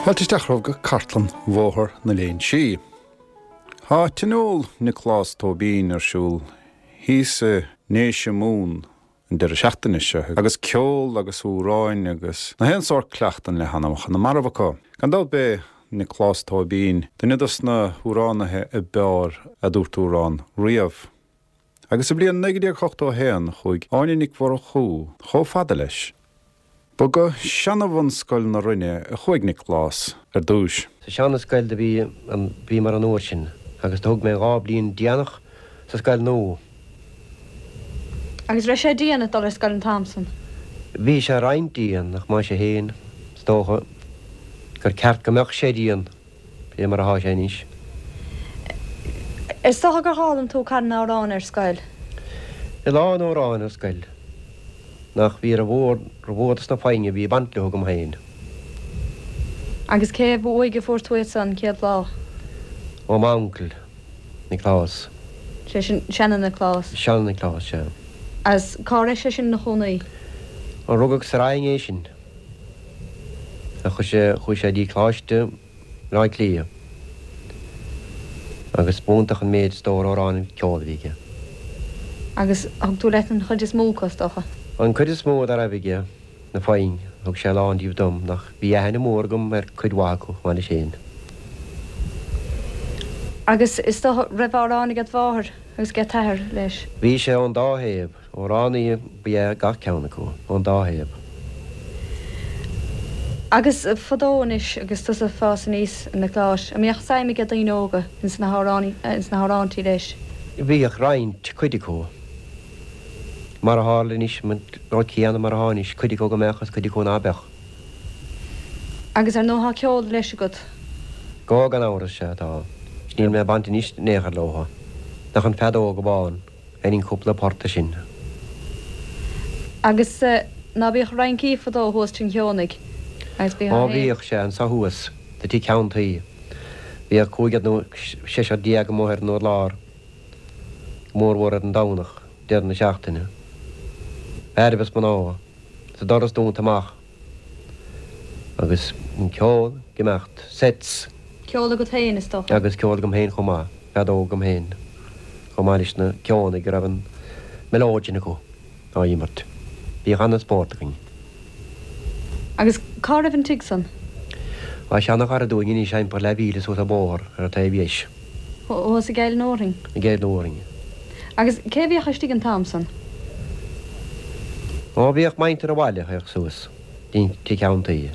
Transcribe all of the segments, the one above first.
Fáilte isteach romhaibh go Cartlann Bhóthar na Léinsí. Tá Tionól Nioclás Tóibín ar siúl thíos i nDéise Mumhan an deireadh seachtaine seo agus ceol agus amhráin agus na haon sórt cleachtan le hanamacha na marbh acu. Gan dabht b'é Nioclás Tóibín duine dos na hamhránaithe a b'fhearr a dúirt amhrán riamh. Agus sa bhliain 1981 chuaigh Áine Nic Mhurchú chomh fada leis. Ba go seana-bhunscoil na Rinne a chuaigh Nioclás ar dtúis. Sa seana-scoil do bhí an, bhíomar an uair sin agus do thug mé an dá bliain déanach sa scoil nua. Agus raibh sé dian ag dul ar scoil an t-am san? Bhí sé roinnt dian ach mar sin féin is dócha gur ceart go mbeadh sé dian. Fé mar athá sé anois. Is dócha gur fhoghlaim tú carn amhrán ar scoil? A lán amhrán ar scoil. Ach bhí ró-mhór, ró-mhór dos na foinn a bhí ag baint leo agam féin. Agus cé uaidh a fuair tú iad san chéad lá? Ó m'uncail, Nioclás. Sé sin, seana-Nioclás? Seana-Nioclás, sea. Agus cá raibh sé sin ina chónaí? Ó rugadh sa Rinn é sin. Chuaigh sé, chuaigh sé dtí Coláiste Bhaile Átha Cliath agus b'iontach an méid stór amhrán agus ceol a bhí aige. Agus thug tú leat an chuid is mó acu, is dócha? An chuid is mó dá raibh aige, na foinn, thug sé a lán díobh dom, ach bhí aithne mhór agam ar cuid mhaith acu, chomh maith leis féin. Agus is dócha, raibh amhráin ag do mháthair agus ag t'athair leis? Bhí sé ón dá thaobh. Amhránaithe ba ea gach ceann acu, ón dá thaobh. Agus fadó anois, agus tusa ag fás aníos, a Niocláis, an mbíodh suim ag daoine óga ins na hamhráintí leis? Bhíodh roinnt, cuid acu. Mar a tharla anois, an rud céanna mar atá anois, cuid acu go mbeadh agus cuid acu ná beadh. Agus ar ndóigh tá ceol leis agat. Go, gan amhras, sea tá. Níl mé ag baint anois in aon chor leo. Ach an feadóg amháin. Sheinninn cúpla port de sin. Agus ná bíodh rincí fadó thuas Tigh an Cheonaigh agus bhí Ó bhíodh, sea, anso thuas, sa tigh ceann tuí. Bhíodh cúigear nó seisear amuigh ar an urlár, go mórmhór ar an Domhnach, deireadh na seachtaine. Fearaibh is mná, is an doras dúnta amach agus an ceol ag imeacht, sets. Ceol agat féin, is dócha. Agus ceol agam féin chomh maith, feadóg agam féin. Chomh maith leis na Ceonaigh a raibh an melodeon acu á imirt. Bhíodh ana-spórt againn. Agus cá raibh an tigh san? Tá seana-chara dúinn anois thimpeall leathmhíle suas an bóthar ar an taobh dheis. Thuas i gCill an Fhearthainn? I gCill an Fhearthainn. Agus cé a bhíodh istigh an t-am san? Ó bhíodh muintir an bhaile a théadh suas dtí'n tigh ceann tuí.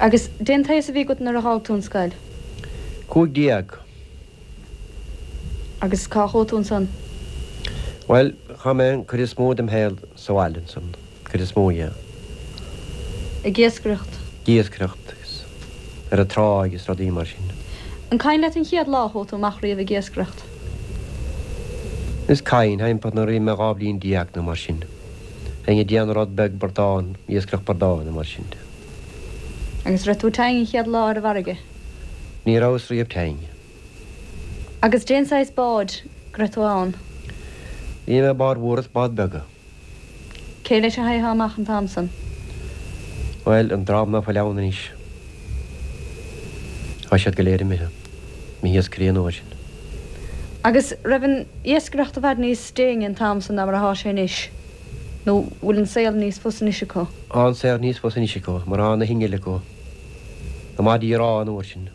Agus dén t-aos a bhí agat nuair a dh'fhág tú an scoil? 15. Agus cá chuaigh tú ansan? Bhuel, chaith mé an cuid is mó dem shaol sa bhaile ansan, cuid is mó dhe. Ag iascaireacht? Ag iascaireacht agus ar an tráigh agus rudaí mar sin. An cuimhin leat an chéad lá a chuaigh tú amach riamh ag iascaireacht? Is cuimhin, thimpeall nuair a bhí mé 12 bhliain nó mar sin. Bheinn ag déanamh rud beag bradán, iascaireacht bradán nó mar sin de. Agus raibh tú tinn an chéad lá ar an bhfarraige? Ní rabhas riamh tinn. Agus dén saghas báid go raibh tú ann? Bhí mé i báid mhór is báid beaga. Cé leis a théitheá amach an t-am san? Bhuel, an dream ná fuil ann anois, tá siad go léir imithe, mo hiascairí an uair sin. Agus raibh an iascaireacht i bhfad níos déine an t-am san ná mar athá sé anois, nó bhfuil an saol níos fusa anois acu? Tá an saol níos fusa anois acu, mar tá na hinnill acu, na maidí rámha an uair sin.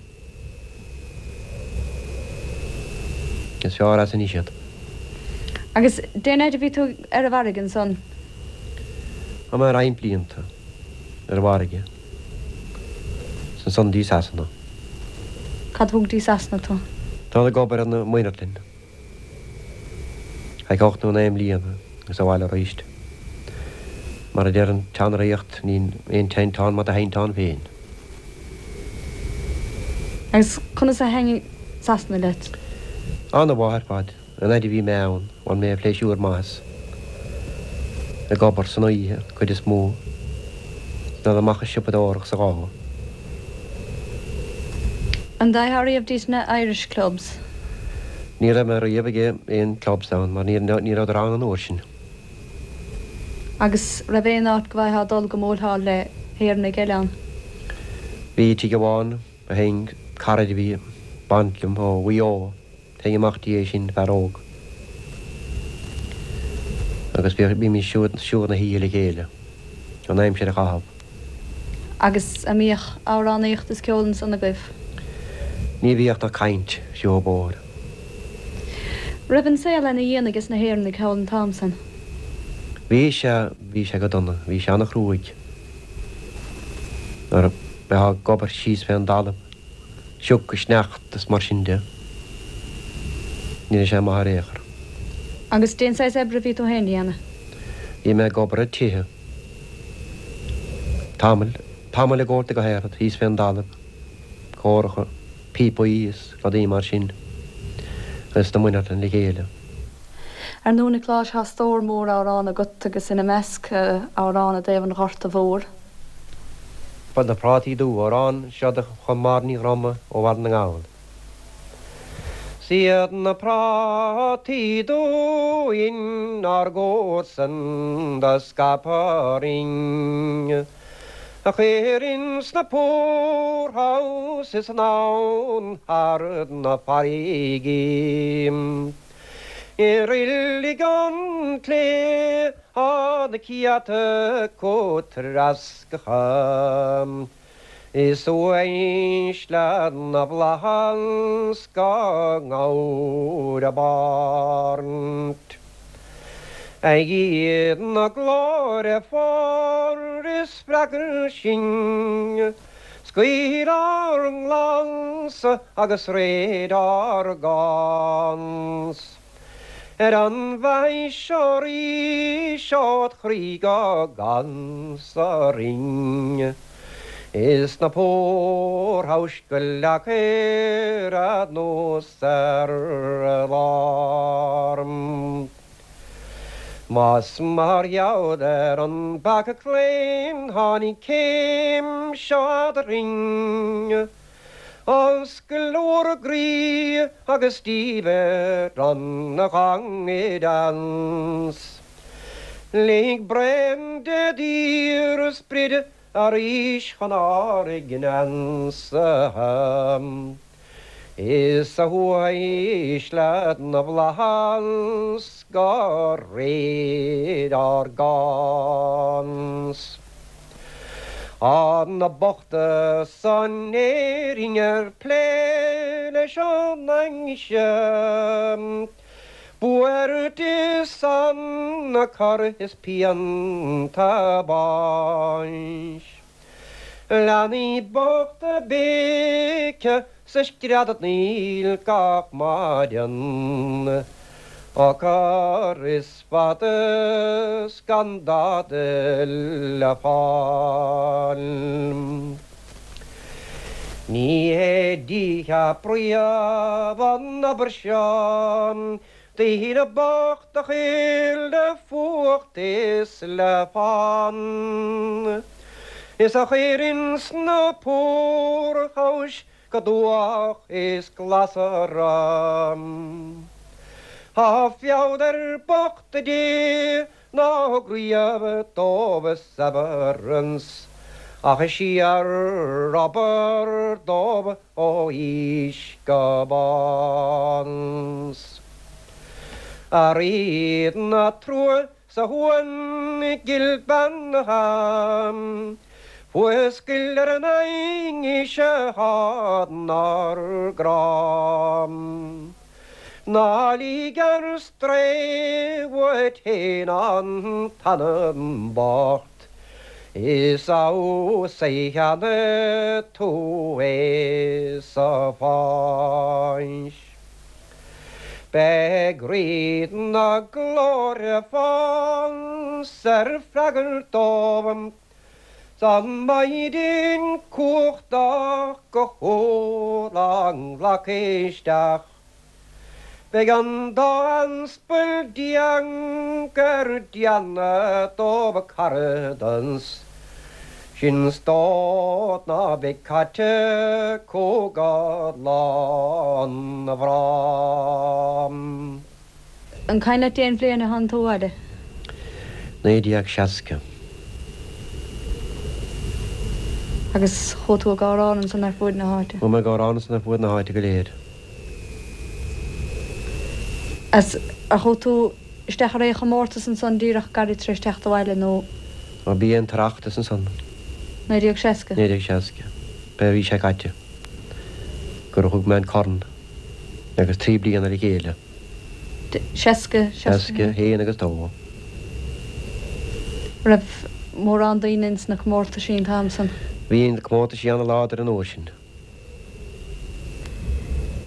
Is fearr as anois iad. Agus dén fhaid a bhí tú ar an bhfarraige ansan? Bhí mé roinnt blianta ar an bhfarraige. Is ansan dtí Sasana. Cad thug dtí Sasana tú? Dul ag obair ar na muinirlinn. Feadh 8 nó 9 mbliana agus abhaile arís. Mar a deir an tseanraíocht, níl aon tinteán mar do thinteán féin. Agus conas a thaitnigh Sasana leat? Ana-mhaith ar fad. An fhaid a bhí mé ann, bhain mé pléisiúr maith as. Ag obair san oíche, an cuid is mó. Is dul amach ag siopadóireacht sa lá. An dteighteá riamh dtí na Irish Clubs? Ní raibh mé riamh ag aon clubs ann mar ní rabhadar ann an uair sin. Agus raibh aon áit go bhfaightheá dul go mbuailtheá le hÉireannaigh eile ann? Bhí tigh amháin a théinn, cara a bhí baint liom ó Mhaigh Eo, théinn amach dtí é sin, fear óg. Agus bhímis siúd na hoíche le chéile, an aimsir a chaitheamh. Agus a' mbíodh amhránaíocht is ceol ansan agaibh? Ní bhíodh ach caint, siúl bóthair. Raibh an saol ana dhian ages na hÉireannaigh thall an t-am san? Bhí sé, bhí sé go dona, bhí sé ana-chruaidh. Nuair a bheifeá ag obair síos fén dtalamh, sioc is sneachta is mar sin de, ní raibh sé maith ar aon chor. Agus dén saghas oibre a bhí tú féin a dhéanamh? Bhí mé ag obair ag tithe. Tamall, tamall i gcóta go háirithe, thíos fén dtalamh, córacha, píopaí is rudaí mar sin, agus na muineartlann le chéile. Ar ndóigh, a Niocláis, tá stór mór amhrán agat agus ina measc, amhrán i dtaobh an Ghorta Mhóir. Na Prátaí Dubha, amhrán seo do chum Máire Ní Dhroma ó Bhaile na nGall. 'S iad na prátaí dubha inár gcomharsain do scaip orainn, A chuir ins na poorhouses anonn thar na farraigí. I roilig an tslé thá na céadta acu treasctha. Is uaisle na bhflaitheas dá ngabhair a bpáirt. A Dhia na glóire fuar is freagair sinn, Scaoil ár nglansa agus réid ár gcás. Ar an bhfathais seo arís ód chroí go gcansa orainn. Is na poorhouse go leacair anuas ar alarm. Más mar gheall ar an bpeaca claon tháinig céim seo eadrainn, Oscail bhur gcroí agus díbir an ghangaidheans. Lig braon de d'fhíor-sprid arís chun ár gcneansa. Is a uaisle na bhflaitheas go réidh ár gcás. Tá na bochta san Éirinn ar plé leis an ainnise, Buairt is anacair is pianta báis. Leanaí bochta ag béiceadh 's ag screadarnaíl gach maidin, Á cur is fada 's gan dada le fáil. Ní hé Dia príomh an obair seo, Daoine bochta a chuir le fuacht is le fonn, Is a chuir ins na poorhouse go dubhach is glasra. Tá feall ar bochta Dé ná thug riamh dóibh severance, Ach is síor-obair dóibh ó aois go bás. A Rí na trua 's a shuan ghil beannaithe, Fuascail ar an ainnise thá 'nár gcrá. Ná lig ar strae uait fhéin an t-anam bocht, Is abhus a cheana tú é sa pháis. Beidh Rí na Glóire fós ar freagairt dóibh, 's an Maighdean cumhachtach go humhal á nglacadh isteach. Beidh an dá aspal déag ar déanamh dóibh caradas, sin stát ná beidh caite acu go lá na bhfrám. An cuimhin leat dén bhliain a tháinig tú abhaile? 1960. Agus chuaigh tú ag amhrán ansan ar fuaid na háite? Chuaigh mé ag amhrán ansan ar fuaid na háite go léir. Agus ar chuaigh tú isteach ar aon chomórtas ansan díreach gairid tar éis teacht abhaile nó? Ó b'é an tOireachtas ansan. 1960? 1960. B'é a bhí sé caite gur thug mé an corn agus 3 bliana le chéile. 60, 61. 61 agus 2. Raibh mórán daoine ins na comórtaisí an t-am san? Bhí na comórtaisí ana-láidir an uair sin.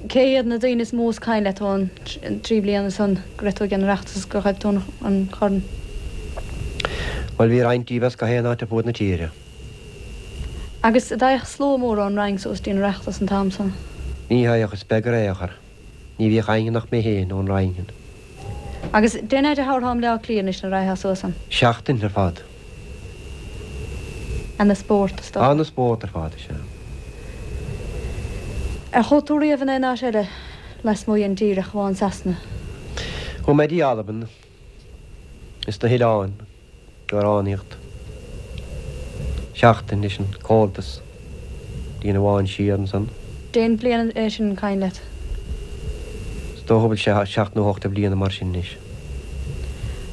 Cé hiad na daoine is mó is cuimhin leat ón dtrí bliana san go raibh tú ag an Oireachtas is gur ghaibh tú an corn? Bhuel bhí roinnt díobh as gach aon áit ar fuaid na tíre. Agus a dtagadh slua mór ón Rinn suas dtí'n Oireachtas an t-am san? Ní thagadh, is beag ar aon chor. Ní bhíodh éinne ach mé féin ón Rinn. Agus dén fhaid a thabharfá i mBleá Cliath anois nuair a raghfá suas ann? Seachtain ar fad. Ana spórt, is dócha. Ana spórt ar fad, is ea. Ar chuaigh tú riamh in aon áit eile lasmuigh den dtír ach amháin Sasana? Chuaigh mé dtí Albain is na hoileáin. Amhránaíocht. Seachtain leis an Comhaltas dtí an Abhainn Siar ansan. Dén bhliain é sin an cuimhin leat? Is dócha go bhfuil sé seacht nó ocht de bhliana mar sin anois.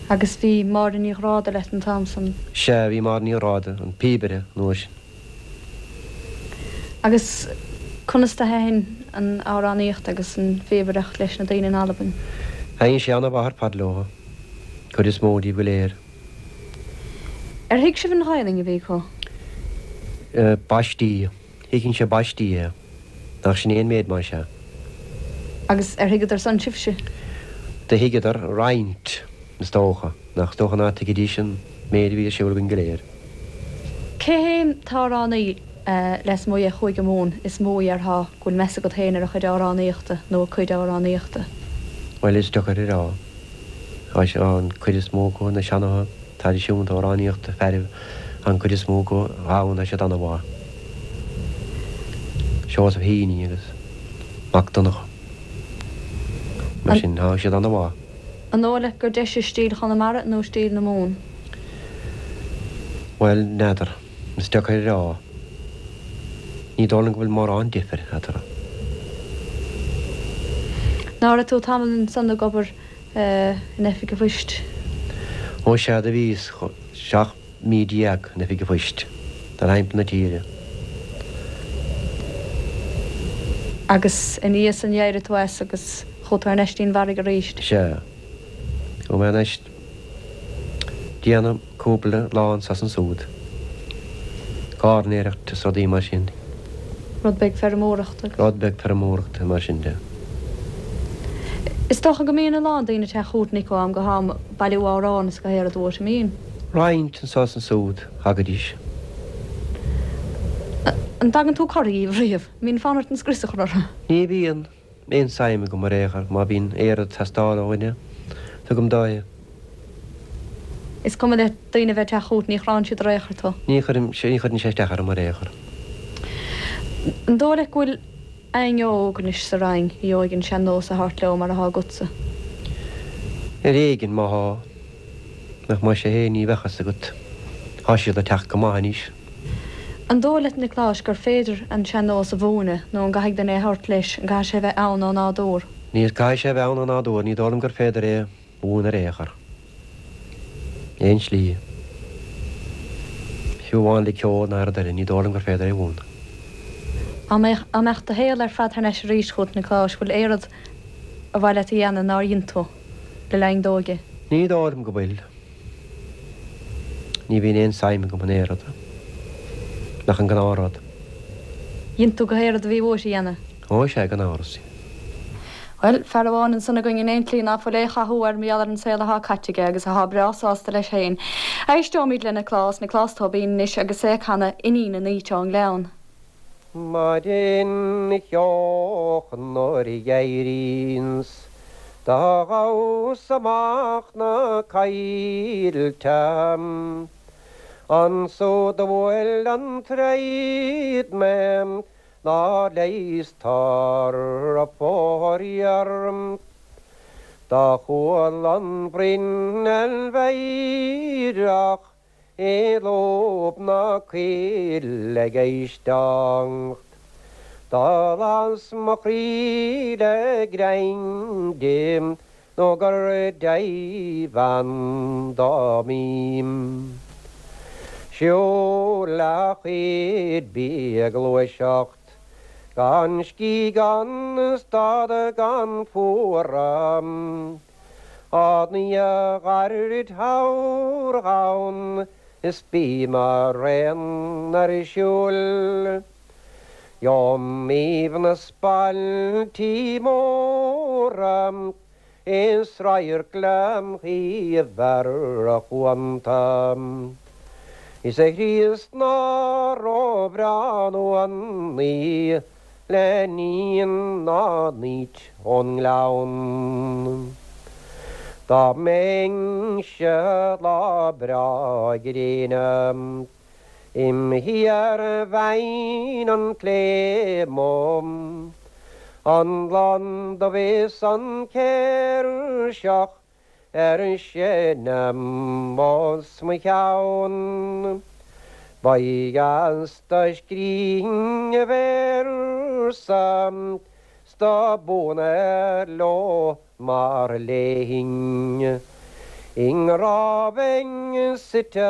Agus bhí Máire Ní Ghráda leat an t-am san? Sea, bhí Máire Ní Ghráda, an píobaire, an uair sin. Agus conas do thaitin an amhránaíocht agus an phíobaireacht leis na daoine in Albain? Thaitin sé ana-mhaith ar fad leo, cuid is mó díobh go léir. Ar thuig sibh an Ghaelainn a bhí acu? Baistí. Thuiginnse baistí é. Nach sin é an méid más ea? Agus ar thuigeadar san sibhse? Do thuigeadar roinnt, is dócha. Nach is dócha ná tuigfidís an méid a bhí ar siúl againn go léir. Cé hé an t-amhránaí lasmuigh de Chúige Mumhan is mó a dhéarfá go bhfuil meas agat féin ar a chuid amhránaíochta nó a cuid amhránaíochta? Bhuel, is deacair a rá. Tá sé an cuid is mó acu na seanatha traidisiúnta amhránaíochta fearaibh an cuid is mó acu ann tá siad ana-mhaith. Seosamh Heaney agus Mac Donncha mar sin tá siad ana-mhaith. An dóigh leat gur deise stíl Chonamara nó stíl na Mumhan? Bhuel, n'fheadar. Is deacair a rá. Ní dóigh liom go bhfuil mórán difir eatarthu. Ná raibh tú tamall ansan ag obair in oifig an phoist? Ó sea, do bhíos 17 mí in oifig an phoist, dul thimpeall na tíre. Agus ina dhiaidh san d'éirigh tú as agus chuaigh tú thar n-ais dtí'n bhfarraige arís? Sea. Chuaigh mé thar n-ais déanamh cúpla lá anso is ansúd. Gairneoireacht is rudaí mar sin. Rud beag feirmeoireachta agus. Rud beag feirmeoireachta mar sin de. Is dócha go mbíonn a lán daoine ag teacht chugat Nick ó am go ham ag bailiú amhrán is gach aon rud uait, an mbíonn? Roinnt anso is ansúd, thagaidís. An dtagann tú cortha dhíobh riamh? An mbíonn fonn ort an scrios a chur orthu? Ní bhíonn. Aon suim agam ar aon chor, má bhíonn aon rud ag teastáil ó dhuine, tugaim dó é. Is cuma le daoine a bheith ag teacht chugat, ní chránn siad ar aon chor tú. Ní chuireann sé, ní chuireann sé isteach orm ar aon chor. An dóigh leat go bhfuil éinne óg anois sa Rinn a gheobhaidh an sean-nós a thabhairt leo mar atá agatsa? Ar éigean, má thá. Nach más é féin ní bheadh fhios agat. Thá siad ag teacht go maith anois. An dóigh leat, Niocláis, gur féidir an sean-nós a mhúineadh nó an gcaithfidh duine é a thabhairt leis, an gcaithfidh sé a bheith ann ó nádúr? Ní caithfidh sé a bheith ann ó nádúr, ní dóigh liom gur féidir é a mhúineadh ar aon chor. Aon slí. Fiú amháin le ceol ná rud eile, ní dóigh liom gur féidir é a mhúineadh. Dá mbeadh, dá mbeadh do shaol ar fad thar n-ais arís chugat, Niocláis, bhfuil aon rud ar mhaith leat a dhéanamh nár dhein tú le linn d'óige? Ní dóigh liom go bhfuil. Ní bhíonn aon suim agam in aon rud ach an gnáthrud. Dhein tú gach aon rud a bhí uait a dhéanamh. Ó, sea, gan amhras. Bhuel, fear amháin ansan againn in aon tslí ná fuil aon chathú air mar gheall ar an saol athá caite aige agus athá breá sásta leis féin. Éisteoimid le Nioclás, Nioclás Tóibín anois agus é ag canadh Iníon an Fhaoite ón nGleann. Maidin cheoch nuair a dh'éiríonns do ghabhas amach na coillte Ansúd do bhuail an troid mé nár leigheastar faraor. Do chuala an bhruinneall mheidhreach i lúb na coille ag éisteacht. Do las mo chroí le greim di nó gur deimhin dom í. Siúl a chuid bídh ag gluaiseacht gan scíth gan stad gan fuaradh. An oíche ghairid thoir dhonn is bím araon ar siúl. Gheobhaim aoibhneas bailtí móra is radharc lem thaobh ar a chuanta. Íosa Chríost ná róbhreá an uan í le níon na nDaoit ón nGleann. Dá mbeinnse lá breá gréine im shuí ar bheinn an tSléibhe, an lon dubh is an céirseach ar seinm os mo chionn. Ba dheas do scrígh a véarsa 's do b'fhóna leo mar léinn. I ngrá bheinn suite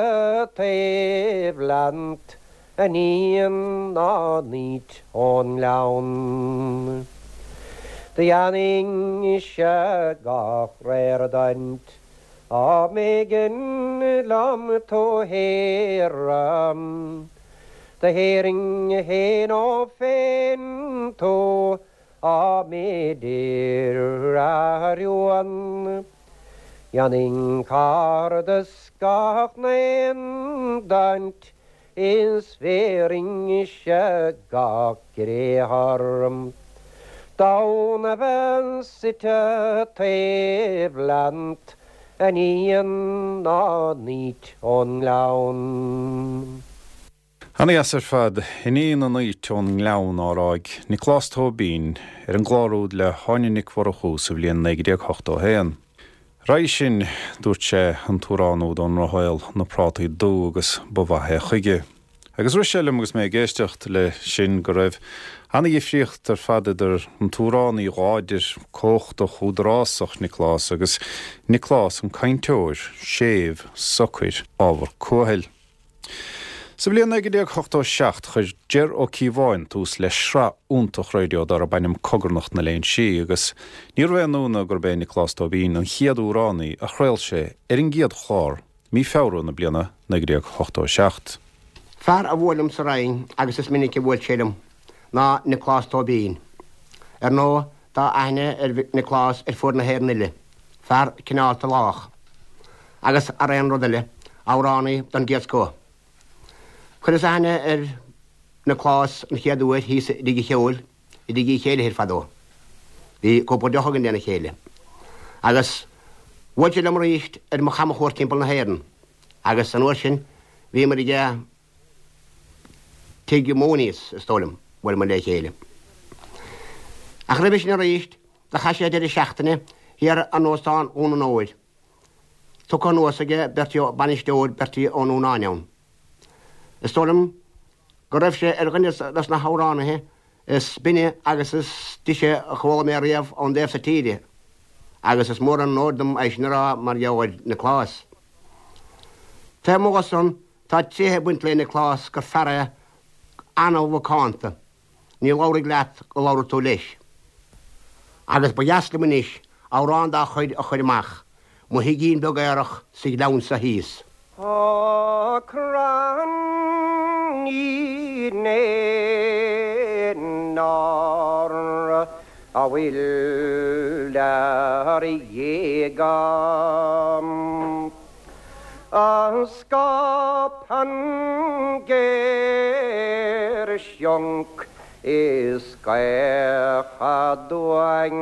taobh leat a níon na nDaoit ón nGleann. Do dhéanfainnse gach réir duit dá mb'éigean liom tú shaoradh. Do shaorfainn fhéin ó phéin tú dá mb'fhéidir a rún. Dhéanfainn caradas gach n-aon duit Is bhéarfainnse gach briathar d'fhonn a bheith suite taobh leat, a níon na nDaoit ón nGleann. Ana-dheas ar fad, Iníon na nDaoit ón nGleann á rá ag Nioclás Tóibín ar an gclár úd le hÁine Nic Mhurchú sa bhliain 1981. Roimhe sin, dúirt sé, an t-amhrán úd ón nDrochshaol, Na Prátaí Dubha agus ba mhaith é chuige. Agus rith sé liom agus mé ag éisteacht le sin go raibh ana-dhifríocht ar fad idir an t-amhránaí láidir, cumhachtach, údarásach, Nioclás, agus Nioclás an cainteoir, séimh, socair, ábhar cúthail. Sa bhliain 1987, chuir Ger Ó Cíobháin tús le sraith iontach raidió darb ainm Cogarnach na Léinsí agus níorbh aon ionadh gurb é Nioclás Tóibín an chéad amhránaí a chraol sé ar an gcéad chlár mí Feabhra na bliana 1987. Fear a bhuail liom sa Rinn agus is minic a bhuail sé liom ná Nioclás Tóibín. Ar ndóigh tá aithne ar Nioclás ar fuaid na hÉireann uile. Fear cineálta lách. Agus thar aon rud eile, amhránaí den gcéad scoth. Chuireas aithne ar Nioclás an chéad uair thíos i dtigh an cheoil, i dTigh Uí Chéiligh fadó. Bhí cúpla deoch againn lena chéile. Agus bhuail sé liom arís ar mo chamchuairt timpeall na hÉireann. Agus an uair sin bhíomar ag Tigh Mooney's, is dóigh liom, bhuaileamar le chéile. Ach roimhe sin arís, Do chaith sé deireadh seachtaine thiar in Óstán Dhún an Óir. Tugtha anuas aige Bertie Ó, bainisteoir Bertie Ó Núnáin ann. Is dóigh liom go raibh sé ar dhuine dos na hamhránaithe is binne agus is deise a chuala mé riamh ón dtaobh so tíre, agus is mór an onóir dom é sin a rá mar gheall ar Nioclás. Taobh amuigh dho san, tá tréithe ag baint le Nioclás gur fear é an-mhacánta. Ní labharfaidh leat go labhraidh tú leis. Agus ba dheas liom anois amhrán dá chuid a chur amach, Mo thigín beag aerach sa ghleann so thíos. Tá crann Uí Néid a bhfuil ar ghéaga. A scaipeann géirshionc is gaoth aduain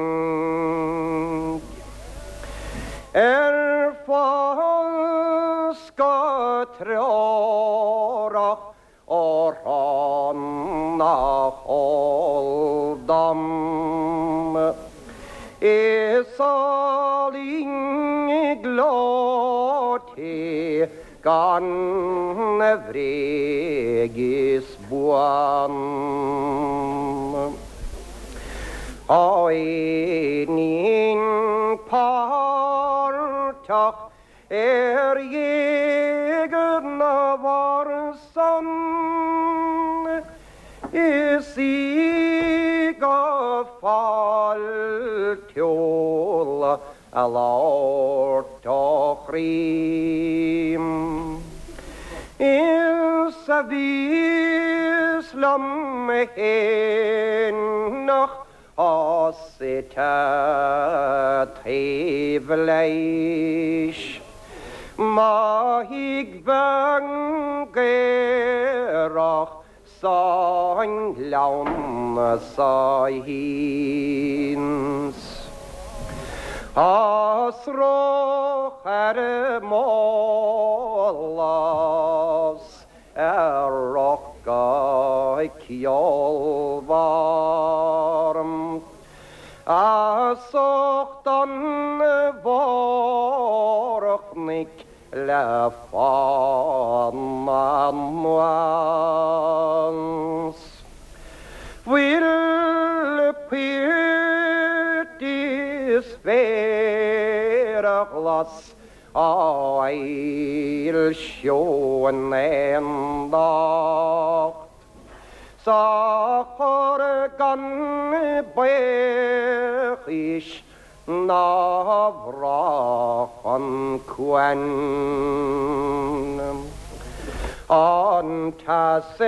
Ar fás go treorach ó thráth nach eol dom. Is álainn gleoite gan a bhréig is buan. Tá éinín páirteach ar ghéag na bhfear san is í go fáiltiúil a labhairt ó chroí. Is a bhíos liom fhéin nach suite taobh leis. Má thig bean gaerach sa ngleann so thíos. Tá sruth ar m'eolas Ar roth go ceolmhar As ucht an bharr-chnoic le fána anuas. Fuil poirt is féar ghlas Á fhoilsiú in aon docht 's á chur gan baothchúis ná bhrath chun cuain. An t-eas i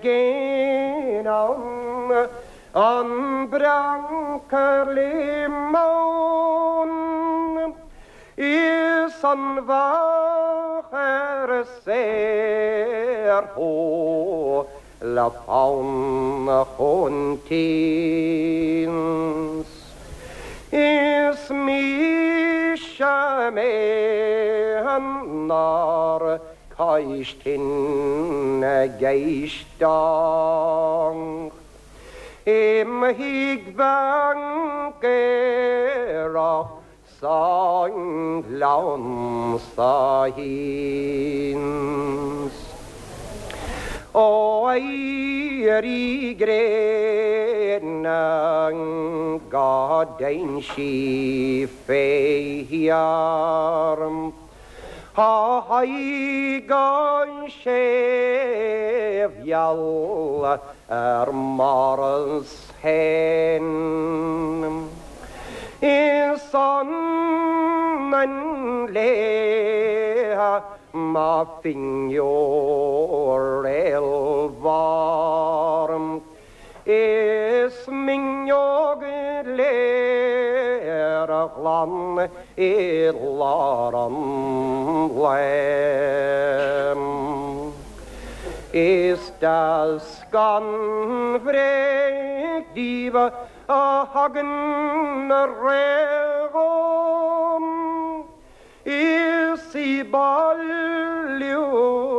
gcéin ann An breac ar liomón Is an bheach ar saorthú le fonn chun tíos. Is mise mé nár cois tine ag éisteacht. Imthigh bhean gaerach sa ngleann so thíos. Ó éirí gréine go dtéann sí fé dhear. Tá aghaidh an séimh-gheal ar m'áras féin. Is ionann léithe mo phingiúr réalmhór. Is m'fhuinneog léir ghlan i lár an lae. Is deas gan bhréig díbh a thagann réidh dhom. Is í bailiú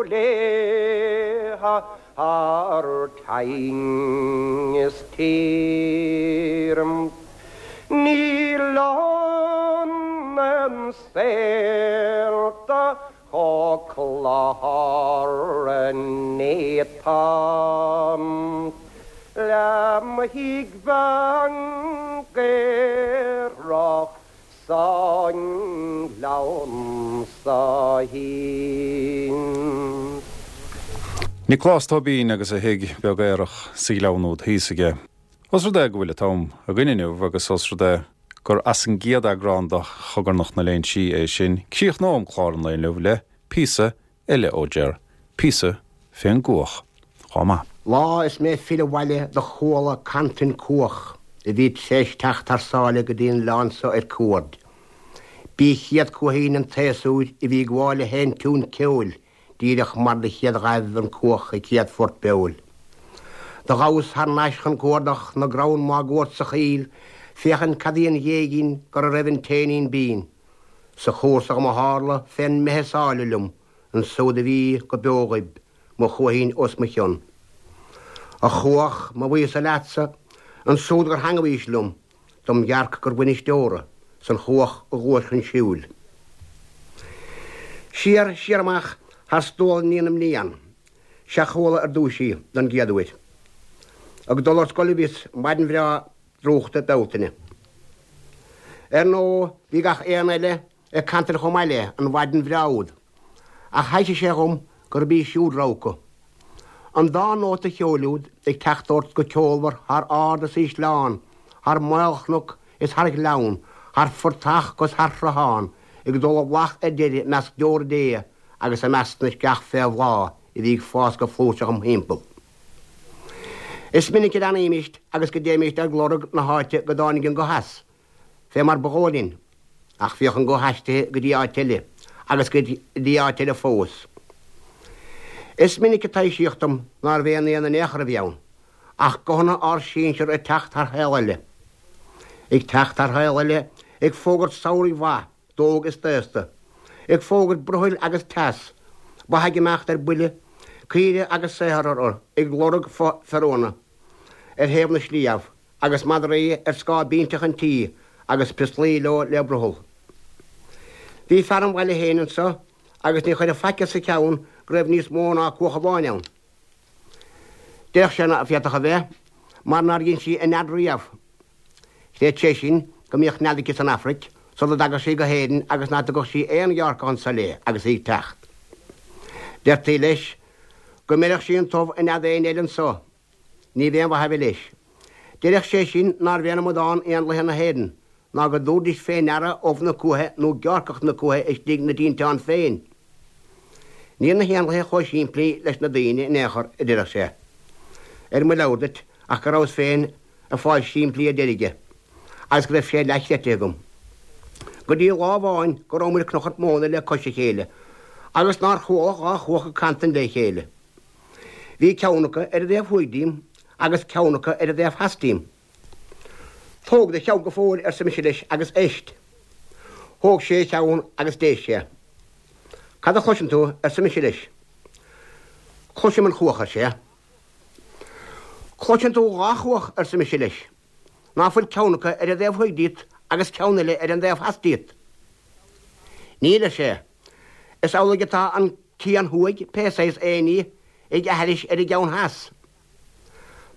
léithe thar toinn is tír. Níl ionann saolta chomh clár néata le mo thigh bhean gaerach Sa ngleann so thíos. Nioclás Tóibín agus a thigh beag aerach sa ghleann úd thíos aige. Os rud é go bhfuil an t-am againn inniu agus os rud é gur as an gcéad eagrán de Chogarnach na Léinsí é sin, críochnóm clár an lae inniu le píosa eile ó Ger, píosa fén gcuach chomh maith. Lá is mé ag filleadh abhaile do chuala cantain cuach a bhí t'réis teacht thar sáile go dtí an oileán so ar cuaird. B'í chéad cuaichín an tséasúir a bhí ag gabháil a sheinn tiún ceoil díreach mar do chéad ghaibh an cuach a céad phort beoil. Do ghabhas thar n-ais chun cuardach na gcrann máguaird sa choill féachaint cad í an ghéigín gur a raibh an t-éinín binn. Sa chúrsa dhom a tharla fén mbeith is áille liom ansúd a bhí go beo ghoib mo chuaichín os mo chionn. A chuach, mo bhuíochas leatsa, ansúd gur theangmhaís liom. dom dhearc gur bhainisteora 's an chuach a ghluais chun siúil. Siar, siar amach thar stuail na mblian, 'sea chuala ar dtúis í don gcéad uair. Ag dul ar scoil a bhíos maidin bhreá drúchta Bealtaine. Ar ndóigh bhí gach aon eile ag cantain chomh maith léi an mhaidin bhreá úd, ach thaibhsigh sé dhom gurb í siúd rogha acu. An dá nóta cheoil úd ag teacht ort go ceolmhar thar ard is ísleán, thar maolchnoc is thar ghleann, thar phortach 'gus thar shruthán, ag dul i bhflach ar deireadh i measc deora Dé agus i measc na sceach fé bhláth a bhí ag fás go flúirseach im thimpeall. Is minic a leanaímist agus go dtéimist ag lorg na háite go dtáinig an guth as, fé mar ba dhóigh linn, ach bhíodh an guth aistrithe go dtí áit eile, agus go dtí áit eile fós. Is minic a taibhsíodh dom nárbh aon éan in aon chor a bhí ann, ach guthanna ár sinsear ag teacht thar shaol eile. Ag teacht thar shaol eile, ag fógairt samhraidh mhaith d'óg is d'aosta, ag fógairt brothaill agus teas, ba ag imeacht ar buile, caoire agus saothar orthu ag lorg feoróna ar thaobh na sliabh, agus madraí ar scáth binseach an tí agus prioslaí leo le brothall. Bhí fear an bhaile féin anso agus ní chuirfeadh faic as a cheann go raibh níos mó ná cuach amháin ann. Déarfadh sé ná féadfadh a bheith, mar nár dhein sí a nead riamh. Chreid sé sin go mbíodh nead aici san Afraic sula dtagadh sí go hÉirinn agus ná tugadh sí aon gheárcach anso léi agus í ag teacht. Deirtí leis go mbeireadh sí an t-ubh i nead éinne eile anso. Ní bh'aon mhaith a bhí leis. Déarfadh sé sin nárbh aon amadán éanlaithe na hÉireann, ná go dtabharfaidís fé ndeara ubh na cuaiche nó geárcach na cuaiche istigh 'na dtinteán féin. Níl na héanlaithe chomh simplí leis na daoine in aon chor, a déarfadh sé. Ar mo leabhar duit ach go rabhas féin ag fáil simplí ar deireadh dhe, agus go raibh sé leathchreidte agam. Go dtí lá amháin go rabhamair ag cnochairt móna le cois a chéile, agus nár chuala dhá chuach ag cantain le chéile. Bhí ceann acu ar an dtaobh thuaidh díom agus ceann acu ar an dtaobh theas díom. Tóg do cheann go fóill, arsa mise leis, agus éist. Thóg sé a cheann agus d'éist sé. Cad a chloiseann tú? arsa mise leis. Cloisim an chuach, ar sé. Cloiseann tú dhá chuach, arsa mise leis. Ná fuil ceann acu ar an dtaobh thuaidh díot agus ceann eile ar an dtaobh theas díot? Níl, ar sé. Is amhlaidh atá an cian thuaidh, pé saghas éin í, ag aithris ar an gceann theas.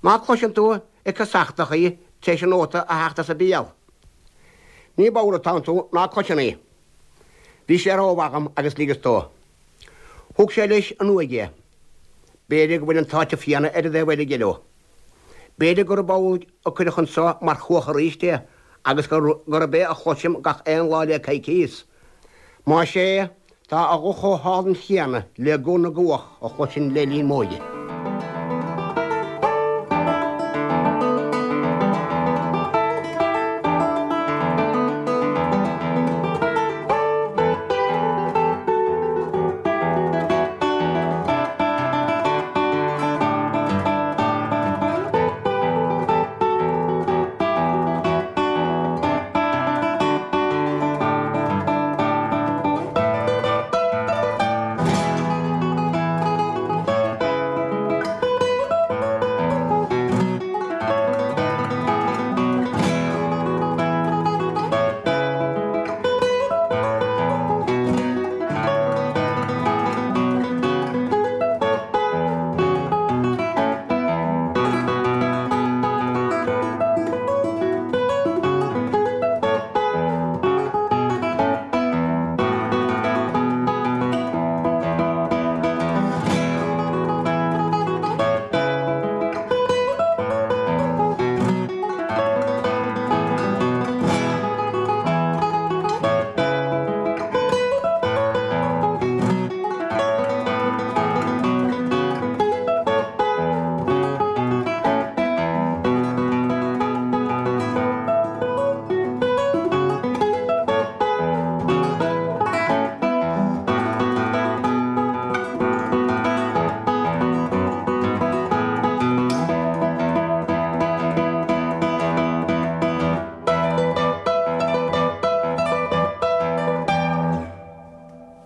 Ná cloiseann tú ag casachtach í tar éis an nóta a theacht as a béal? Ní bodhar atánn tú ná cloiseann í. Bhí sé rómhaith dhom agus ligeas dó. Thug sé leis an uaigh é. B'fhéidir go bhfuil an t-áiteamh céanna ar an dtaobh eile dhe leo. B'fhéidir gurb amhlaidh a cuireadh anso mar chuach aríst é agus gurb é a chloisim gach aon lá le coicíos. Más ea, tá a ghuth chomh hálainn chéanna le guth na gcuach a chloisinn le linn m'óige.